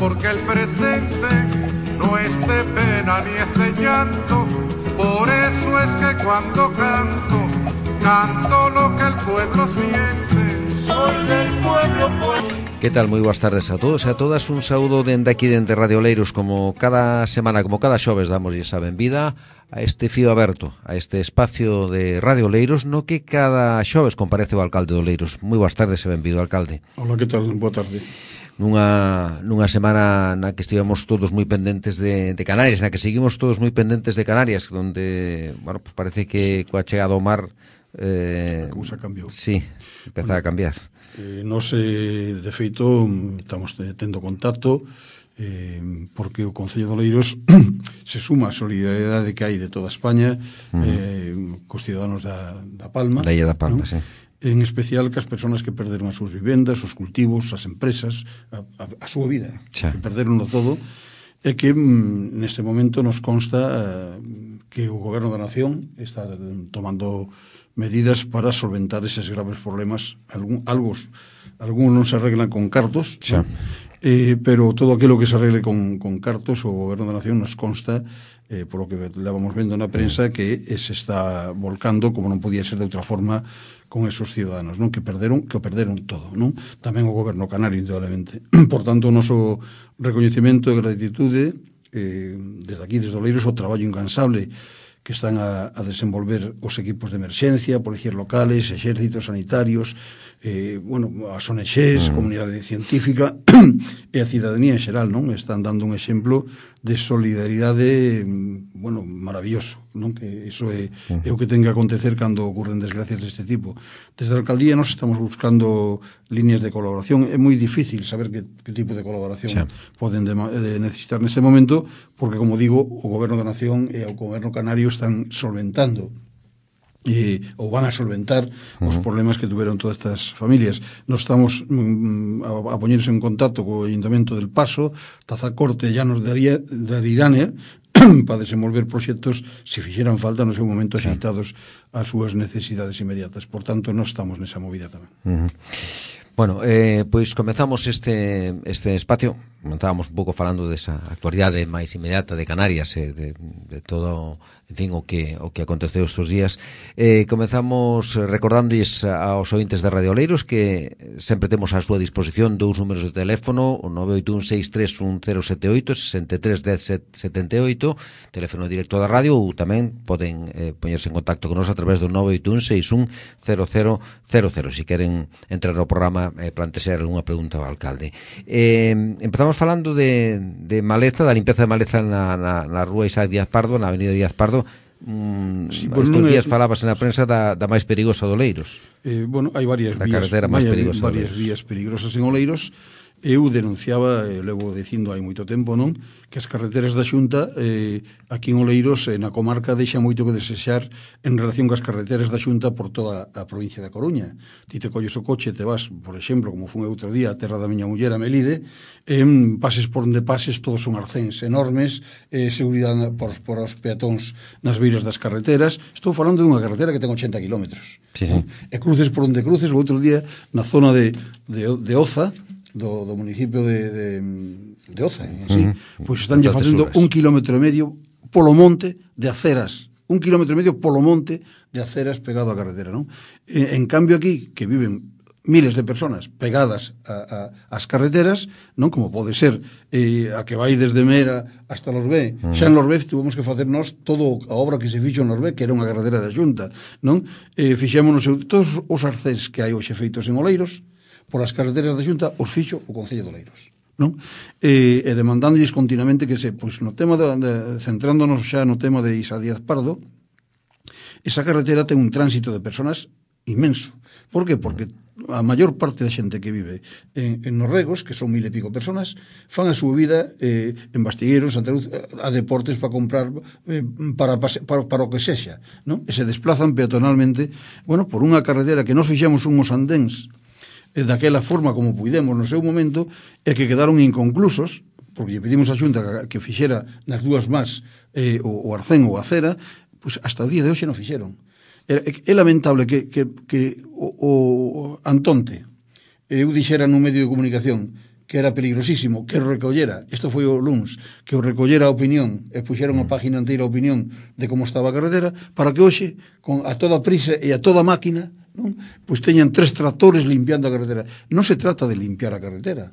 porque el presente no es de pena ni es de llanto. Por eso es que cuando canto, canto lo que el pueblo siente. Soy del pueblo, Que tal? Moi boas tardes a todos e a todas. Un saúdo dende aquí, dende Radio Oleiros. Como cada semana, como cada xoves, damoslle a benvida a este fío aberto, a este espacio de Radio Oleiros, no que cada xoves comparece o alcalde de Oleiros. Moi boas tardes e benvido, alcalde. Hola, que tal? Boa tarde. Nunha semana na que estivemos todos moi pendentes de Canarias, na que seguimos todos moi pendentes de Canarias, donde, bueno, pues parece que coa chegada ao mar a cousa cambiou. Sí, empeza a cambiar. Nos, de feito, estamos tendo contacto porque o Concello de Oleiros se suma a solidariedade que hai de toda España cos ciudadanos da Palma, da Illa da Palma, ¿no? Sí. En especial cas persoas que perderon as súas vivendas, os cultivos, as empresas, a súa vida, que perderonlo todo, e que neste momento nos consta que o Goberno da Nación está tomando medidas para solventar eses graves problemas. Algúns non se arreglan con cartos, sí, ¿no? Pero todo aquilo que se arregle con cartos, o Goberno da Nación nos consta, por lo que levamos vendo na prensa, que se está volcando, como non podía ser de outra forma, con esos ciudadanos, non? Que o perderon todo, non? Tamén o Goberno canario, indudablemente. Por tanto, o noso recoñecemento e gratitude desde aquí, desde Oleiros, o traballo incansable que están a desenvolver os equipos de emerxencia, policías locales, exércitos sanitarios, as ONGs, comunidade científica e a cidadanía en xeral, non? Están dando un exemplo de solidaridade, maravilloso, non? Que iso é o que ten que acontecer cando ocurren desgracias deste tipo. Desde a alcaldía nos estamos buscando líneas de colaboración. É moi difícil saber que tipo de colaboración poden necesitar neste momento, porque, como digo, o Goberno da Nación e o Goberno Canario están solventando ou van a solventar os problemas que tuveron todas estas familias. Nos estamos a poñerse en contacto co Ayuntamiento del Paso, Tazacorte e Llanos de Aridane, para desenvolver proxectos, se fixeran falta no seu momento, axeitados ás súas necesidades inmediatas. Por tanto, nós estamos nesa movida tamén. Bueno, pois comezamos este espacio. Estábamos un pouco falando desa actualidade máis inmediata de Canarias, de todo, en fin, o que aconteceu estes días. Comezamos recordándoles aos ointes de Radio Oleiros que sempre temos á súa disposición dous números de teléfono, o 981631078, 631078, teléfono directo da radio, ou tamén poden poñerse en contacto con nos a través do 981610000, se queren entrar no programa e plantexar algunha pregunta ao alcalde. Empezamos falando de maleza, da limpeza de maleza na rúa Isaac Díaz Pardo, na avenida Díaz Pardo. Estes días falábase na prensa da máis perigosa de Oleiros. Hai varias vías perigosas en Oleiros. Eu denunciaba, levo dicindo hai moito tempo, non? Que as carreteras da Xunta aquí en Oleiros, na comarca, deixa moito que desexar en relación coas carreteras da Xunta por toda a provincia da Coruña. Ti te colles o coche, te vas, por exemplo, como fun outro día, a terra da miña muller, a Melide, pases por onde pases, todos son arcéns enormes, seguridade por os peatóns nas beiras das carreteras. Estou falando dunha carretera que ten 80 kilómetros. Sí, sí. E cruces por onde cruces. O outro día, na zona de Oza, do municipio de Oza, pois están facendo 1,5 km polo monte de aceras, 1,5 km polo monte de aceras pegado á carretera, non? En cambio aquí, que viven miles de personas pegadas ás carreteras, non? Como pode ser a que vai desde Mera hasta Lorbé. Xa en Lorbé tivemos que facer nós todo a obra que se fixo en Lorbé, que era unha carretera da Xunta, non? Fixémonos todos os arcés que hai hoxe feitos en Oleiros por as carreteras da Xunta, os fixo o Concello de Oleiros, non? E demandándolles continuamente que pois no tema centrándonos xa no tema de Isaac Díaz Pardo, esa carretera ten un tránsito de personas inmenso. Por que? Porque a maior parte da xente que vive en Norregos, que son 1000 e pico personas, fan a súa vida en Bastigueiros, Santa Luz, a deportes para comprar para o que sexa, non? E se desplazan peatonalmente, por unha carretera que nos fixemos unhos andéns daquela forma como puidemos no seu momento, e que quedaron inconclusos, porque lle pedimos a Xunta que fixera nas dúas más o arcén ou a acera, pois hasta o día de hoxe non fixeron. É lamentable que o Antonte, eu dixera nun medio de comunicación que era peligrosísimo, que o recollera, isto foi o luns, que o recollera a opinión, e puxeron a página inteira a opinión de como estaba a carretera, para que hoxe, con a toda prisa e a toda máquina, non? Pois teñan 3 tractores limpiando a carretera. Non se trata de limpiar a carretera,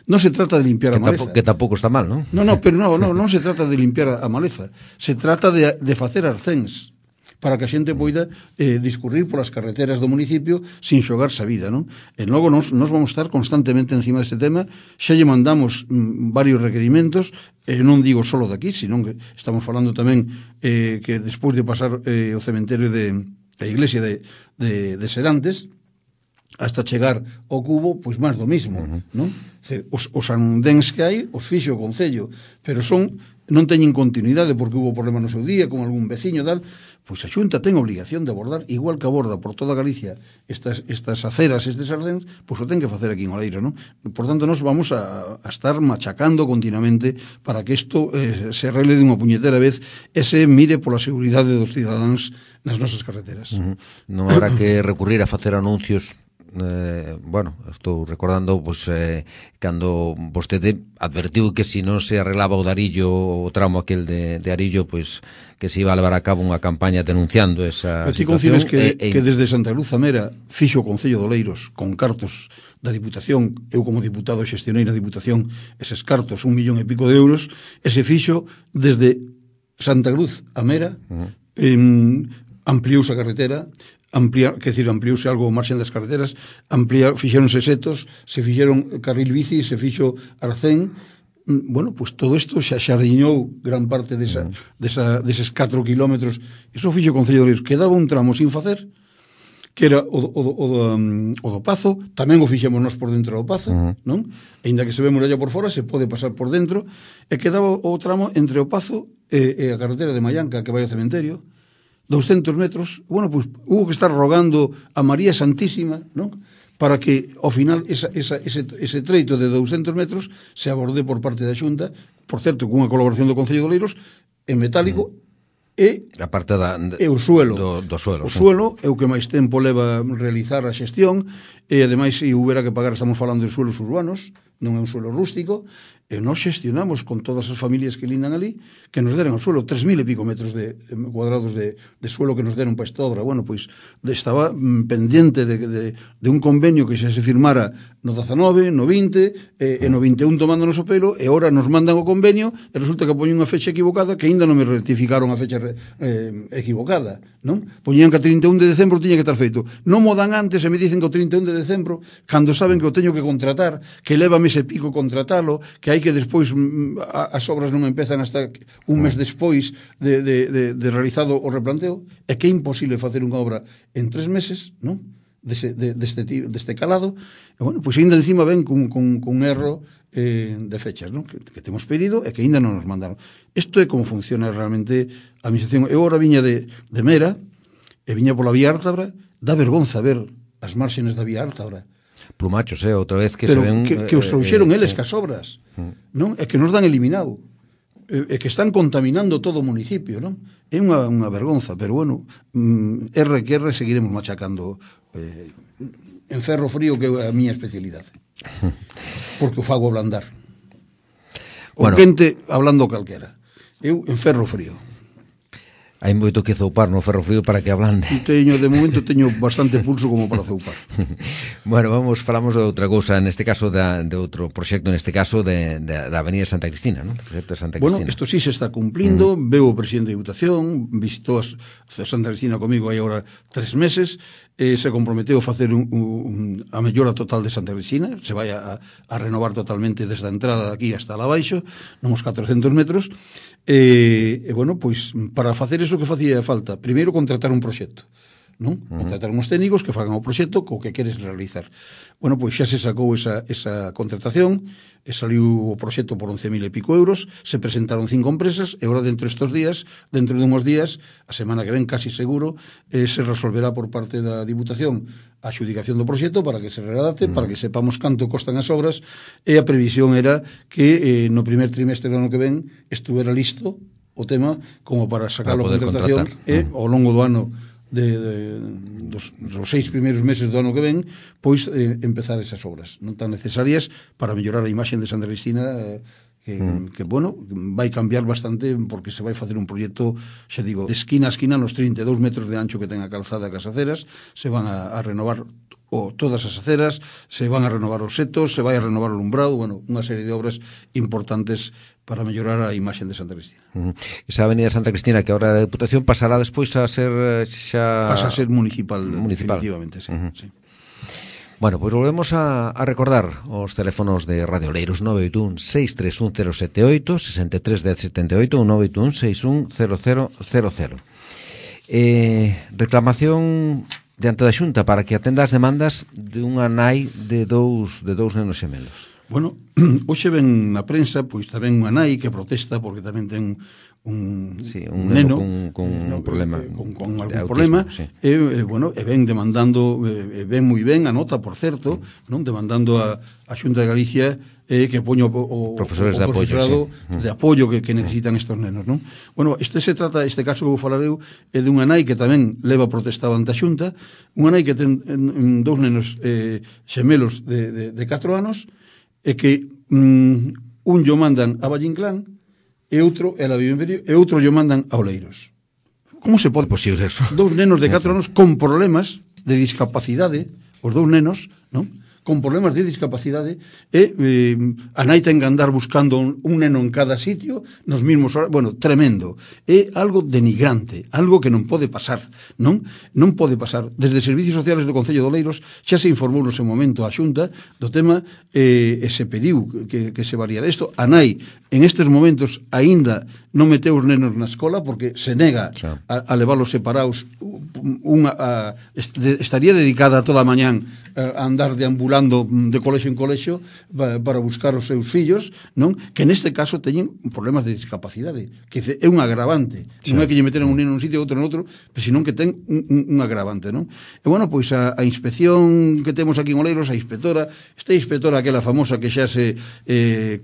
non se trata de limpiar a maleza. Que tampouco está mal, non? Pero non se trata de limpiar a maleza, se trata de facer arcéns, para que a xente poida discurrir polas carreteras do municipio sin xogarse a vida, non? E logo nos vamos estar constantemente encima deste tema, xa lle mandamos varios requerimentos, non digo solo de aquí, sino que estamos falando tamén que despois de pasar o cementerio a iglesia de Serantes, hasta chegar ao Cubo, pois máis do mismo, non? Os andéns que hai, os fixo o Concello, pero non teñen continuidade porque hubo problema no seu día con algún veciño tal. Pois a Xunta ten obligación de abordar, igual que aborda por toda Galicia estas aceras, estes ardéns, pois o ten que facer aquí en Oleiro, non? Por tanto, nos vamos a estar machacando continuamente para que isto se arregle de unha puñetera vez e se mire pola seguridade dos cidadáns nas nosas carreteras. Non habrá que recurrir a facer anuncios. Estou recordando cando vostede advertiu que se non se arreglaba o de Arillo, o tramo aquel de Arillo, pois que se iba a levar a cabo unha campaña denunciando esa situación. Ti concibes que desde Santa Cruz a Mera fixo o Concello de Oleiros con cartos da Diputación, eu como diputado xestionei na Diputación eses cartos, 1 millón e pico de euros, e se fixo desde Santa Cruz a Mera, ampliouse a carretera, ampliouse algo o marxen das carreteras, fixeronse setos, se fixeron carril bici, se fixo arcén. Pois todo isto xa xardiñou gran parte deses 4 kilómetros. Iso fixo o Concello de Oleiros. Quedaba un tramo sin facer, que era o do Pazo, tamén o fixemos nós por dentro do Pazo, non? E inda que se ve muralla por fora, se pode pasar por dentro, e quedaba o tramo entre o Pazo e a carretera de Mallanca, que vai ao cementerio, 200 metros, pois hubo que estar rogando a María Santísima, non? Para que, ao final, ese treito de 200 metros se aborde por parte da Xunta, por certo, cunha colaboración do Concello de Oleiros, en metálico, e a parte o suelo. Do suelo. O suelo é o que máis tempo leva realizar a xestión, e ademais, se houbera que pagar, estamos falando de suelos urbanos, non é un suelo rústico, e nós xestionamos con todas as familias que lindan ali que nos deran o suelo, 3.000 e pico metros cuadrados de suelo que nos deron para esta obra. Pois estaba pendiente de un convenio que xa se firmara no 19, no 20 e no 21 tomándonos o pelo, e ahora nos mandan o convenio e resulta que poñen unha fecha equivocada, que aínda non me rectificaron a fecha equivocada, non? Poñían que a 31 de decembro tiña que estar feito, non mo dan antes e me dicen que o 31 de decembro, cando saben que o teño que contratar, que leva mes e pico contratalo, que hai que despois as obras non empezan hasta un mes despois de realizado o replanteo, é que é imposible facer unha obra en 3 meses, non? Deste calado, e pois ainda encima ven cun erro de fechas, non? Que temos pedido e que ainda non nos mandaron. Isto é como funciona realmente a administración. Eu agora viña de Mera e viña pola Vía Ártabra, dá vergonza ver as márxenes da Vía Ártabra. Plumachos, outra vez que pero se ven... que os trouxeron eles cas obras, non? É que nos dan eliminado, é que están contaminando todo o municipio, non? É unha vergonza, pero erre que erre seguiremos machacando en ferro frío, que é a miña especialidade, porque o fago ablandar. O quente hablando calquera, eu en ferro frío. Hai moito que zoupar no ferro frío para que ablande. De momento teño bastante pulso como para zoupar. Falamos de outra cousa, neste caso de outro proxecto, neste caso da Avenida Santa Cristina, non? Proxecto de Santa Cristina. Isto sí se está cumplindo, veo o presidente de Diputación, visitou a Santa Cristina comigo hai agora 3 meses, se comprometeu a facer a mellora total de Santa Cristina, se vai a renovar totalmente desde a entrada de aquí hasta lá abaixo, nos 400 metros, pois para facer iso que facía falta, primeiro contratar un proxecto, non? Contratar uns técnicos que fagan o proxecto co que queres realizar. Pois xa se sacou esa contratación, e saliu o proxecto por 11.000 e pico euros, se presentaron 5 empresas, e agora dentro de unhos días, a semana que ven casi seguro, se resolverá por parte da Diputación a adxudicación do proxecto para que se redacte, para que sepamos canto costan as obras, e a previsión era que no primer trimestre do ano que ven estuvera listo o tema como para sacar a contratación, e ao longo do ano dos 6 primeiros meses do ano que ven, pois empezar esas obras non tan necesarias para mellorar a imaxe de Santa Cristina, que bueno, vai cambiar bastante porque se vai facer un proxecto, xa digo, de esquina a esquina nos 32 metros de ancho que ten a calzada cas aceras, se van a renovar todas as aceras, se van a renovar os setos, se vai a renovar o alumbrado, bueno, unha serie de obras importantes para mellorar a imaxe de Santa Cristina. Esa avenida Santa Cristina que ahora a Deputación pasará despois a ser pasa a ser municipal. Definitivamente, sí, sí. Bueno, pois volvemos a recordar os teléfonos de Radio Oleiros 981-631-078, 63-1078 ou 981-610000. Reclamación diante da Xunta para que atenda as demandas de unha nai de dous nenos xemelos. Bueno, hoxe ven na prensa, pois tamén unha nai que protesta porque tamén ten un neno con un problema, con algún problema, sí. Bueno, e ven demandando, ven moi ben a nota, por certo, non demandando a Xunta de Galicia que poño o profesores de apoio, de apoio que necesitan estos nenos, non? Bueno, este caso que vou falar eu é de unha nai que tamén leva protestado ante a Xunta, unha nai que ten dous nenos xemelos de 4 anos e que un yo mandan a Vallinclán e outro, ela vive en Perillo, e outro yo mandan a Oleiros. Como se pode posible eso? Dous nenos de 4 anos con problemas de discapacidade, os dous nenos, non? Con problemas de discapacidade, e a nai ten que andar buscando un neno en cada sitio, nos mismos horas, bueno, tremendo. É algo denigrante, algo que non pode pasar, non pode pasar. Desde Servicios Sociales do Concello de Oleiros xa se informou no seu momento a Xunta do tema e se pediu que se variara isto. A nai, en estes momentos, aínda non meteu os nenos na escola porque se nega a leválos separados. Estaría dedicada toda a mañán a andar deambulando de colexo en colexo para buscar os seus fillos, non? Que neste caso teñen problemas de discapacidade, que é un agravante. Non é que lle meteran un neno nun sitio e outro en outro, pero senón que ten un agravante, non? E bueno, pois a inspección que temos aquí en Oleiros, esta inspectora aquela famosa que xa se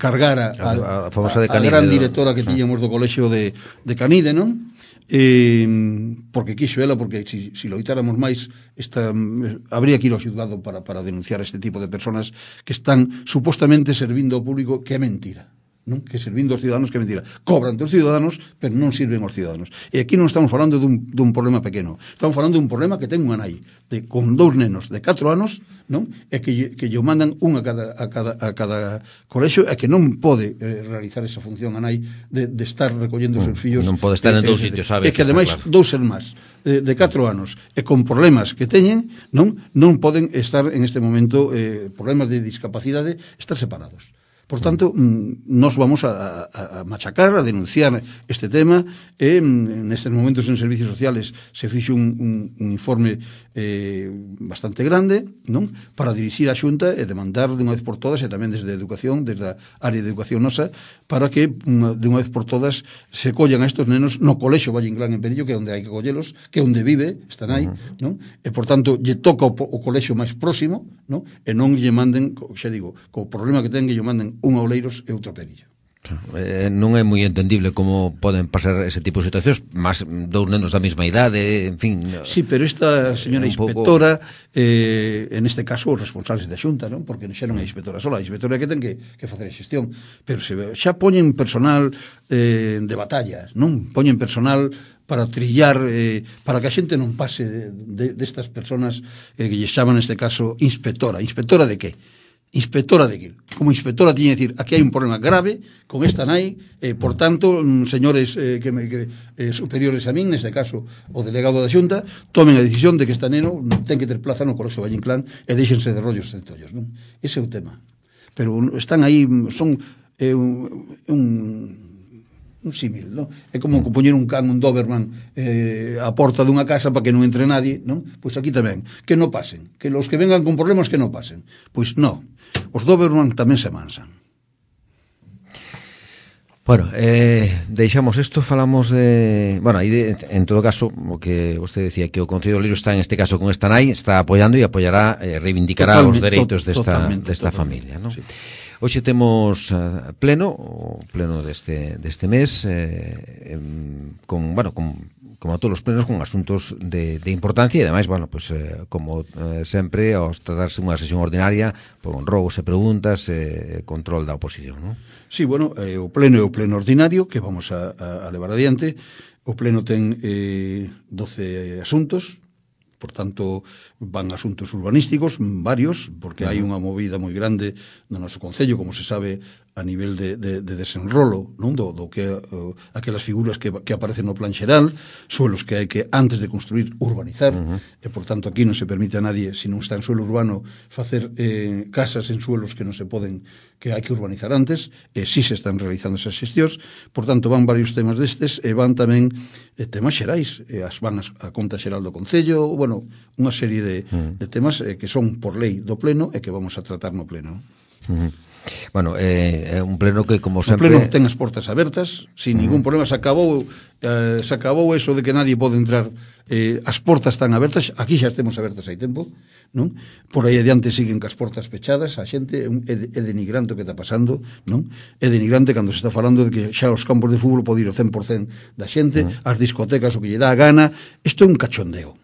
cargara a gran directora que tiñamos do colexio de Canide, non? Porque quixo ela, porque si loitáramos máis habría que ir ao xulgado para denunciar este tipo de personas que están supostamente servindo ao público, que é mentira, non? Que servindo aos ciudadanos, que é mentira. Cobran dos ciudadanos, pero non sirven aos ciudadanos. E aquí non estamos falando dun problema pequeno, estamos falando dun problema que ten unha nai con dous nenos de 4 anos, non? E que lle mandan un a cada colexio, e que non pode realizar esa función a nai de estar recollendo os seus fillos. Non pode estar en dous sitios, sabes? E que ademais dous irmáns de 4 anos e con problemas que teñen, non poden estar en este momento, problemas de discapacidade, estar separados. Por tanto, nos vamos a machacar, a denunciar este tema, e nestes momentos en Servicios Sociales se fixe un informe bastante grande, non? Para dirixir a Xunta e demandar de unha vez por todas, e tamén desde a Educación, desde a área de Educación nosa, para que de unha vez por todas se collan a estos nenos no colexo Vallinclán en Perillo, que é onde hai que collelos, que é onde vive, están aí, non? E por tanto, lle toca o colexo máis próximo, non? E non lle manden, xa digo, co problema que ten, que lle manden un a Oleiros e outro a Perillo. Non é moi entendible como poden pasar ese tipo de situacións, máis dous nenos da mesma idade, en fin. Sí, pero esta señora inspectora, en este caso os responsables da Xunta, non? Porque xa non é inspectora sola, a inspectora que ten que facer a xestión, pero xa poñen personal de batallas, non? Poñen personal para trillar, para que a xente non pase destas personas que lle chaman neste caso inspectora. Inspectora de que? Inspectora de que? Como inspectora tiña que decir, aquí hai un problema grave con esta nai, por tanto, señores superiores a min, neste caso o delegado da Xunta, tomen a decisión de que esta neno ten que ter plaza no Colexio Vallinclán e déxense de rollos centollos, non? Ese é o tema. Pero están aí, son un símil, non? É como poñer un can, un Doberman a porta dunha casa para que non entre nadie, non? Pois aquí tamén, que non pasen, que los que vengan con problemas que non pasen. Pois non, os Doberman tamén se mansan. Bueno, deixamos isto, falamos de... Bueno, aí en todo caso, o que vostede decía, que o Concello de Oleiros está en este caso con esta nai, está apoiando e apoiará, reivindicará os dereitos desta familia, non? Sí. Hoxe temos pleno, o pleno deste mes, con como todos os plenos, con asuntos de importancia e, ademais, bueno, pues, como sempre, aos tratarse unha sesión ordinaria, con rogos e preguntas, control da oposición, non? Sí, bueno, o pleno é o pleno ordinario que vamos a levar adiante. O pleno ten 12 asuntos. Por tanto, van asuntos urbanísticos, varios, porque hai unha movida moi grande no noso Concello, como se sabe, a nivel de desenrolo, non? Do que aquelas figuras que aparecen no plan xeral, suelos que hai que, antes de construir, urbanizar, e, por tanto, aquí non se permite a nadie, se non está en suelo urbano, facer casas en suelos que non se poden, que hai que urbanizar antes, si se están realizando esas xestións. Por tanto, van varios temas destes, e van tamén temas xerais, van a conta xeral do Concello, bueno, unha serie de temas que son por lei do pleno e que vamos a tratar no pleno. Bueno, é un pleno que, como sempre... O pleno ten as portas abertas, sin ningún problema. Se acabou eso de que nadie pode entrar. As portas están abertas, aquí xa estemos abertas hai tempo, non? Por aí adiante siguen cas portas pechadas, a xente é denigrante o que está pasando, non? É denigrante cando se está falando de que xa os campos de fútbol pode ir o 100% da xente, as discotecas o que lle dá a gana. Isto é un cachondeo.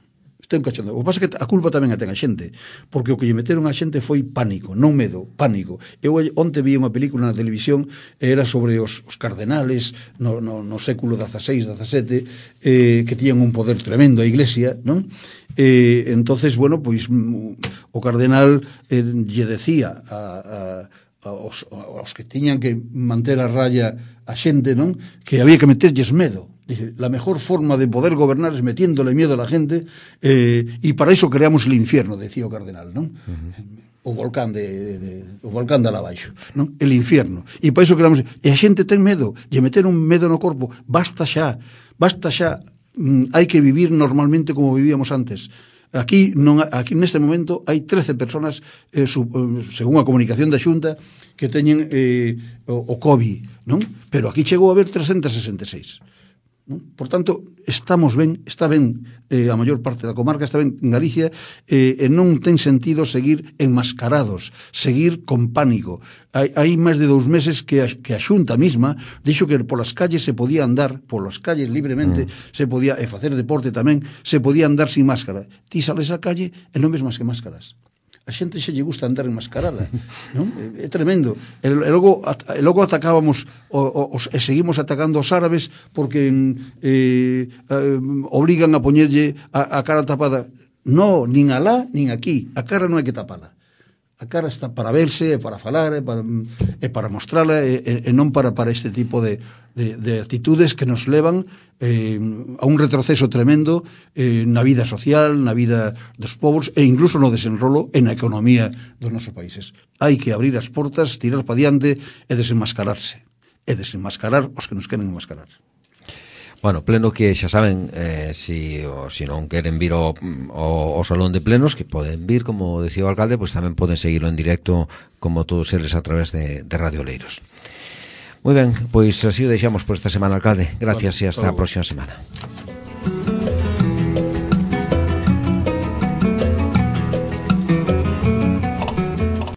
O que pasa é que a culpa tamén a ten a xente, porque o que lle meteron a xente foi pánico, non medo, pánico. Eu onte vi unha película na televisión, era sobre os cardenales no século XVI, XVII, que tiñan un poder tremendo a Iglesia, non? Entonces, bueno, pois o cardenal lle decía aos que tiñan que manter a raya a xente, non? Que había que meterlles medo. Dice, la mejor forma de poder gobernar es metiéndole miedo a la gente, y para eso creamos el infierno, decía o cardenal, non? O volcán de abaixo, non? El infierno. E para eso creamos... E a xente ten medo, lle meter un medo no corpo. Basta xa. Hai que vivir normalmente como vivíamos antes. Aquí neste momento hai 13 personas, según a comunicación da Xunta, que teñen o COVID, non? Pero aquí chegou a haber 366. Por tanto, estamos ben, está ben a maior parte da comarca, está ben en Galicia, e non ten sentido seguir enmascarados, seguir con pánico. Hai máis de 2 meses que a Xunta mesma dixo que polas calles se podía andar, polas calles libremente, se podía, e facer deporte tamén, se podía andar sin máscara. Ti sales á calle e non ves máis que máscaras. A xente xe lle gusta andar enmascarada, non? É tremendo. E logo atacábamos e seguimos atacando aos árabes porque obrigan a poñerlle a cara tapada. No, nin alá, nin aquí. A cara non hai que tapala. A cara está para verse, para falar, para mostrala, e non para este tipo de actitudes que nos levan a un retroceso tremendo na vida social, na vida dos povos e incluso no desenrolo e na economía dos nosos países. Hai que abrir as portas, tirar para diante e desenmascararse. E desenmascarar os que nos queren enmascarar. Bueno, pleno que xa saben, si non queren vir ao salón de plenos, que poden vir, como decía o alcalde, pois tamén poden seguirlo en directo, como todos eles, a través de Radio Oleiros. Moi ben, pois así o deixamos por esta semana, alcalde. Gracias e hasta a próxima semana.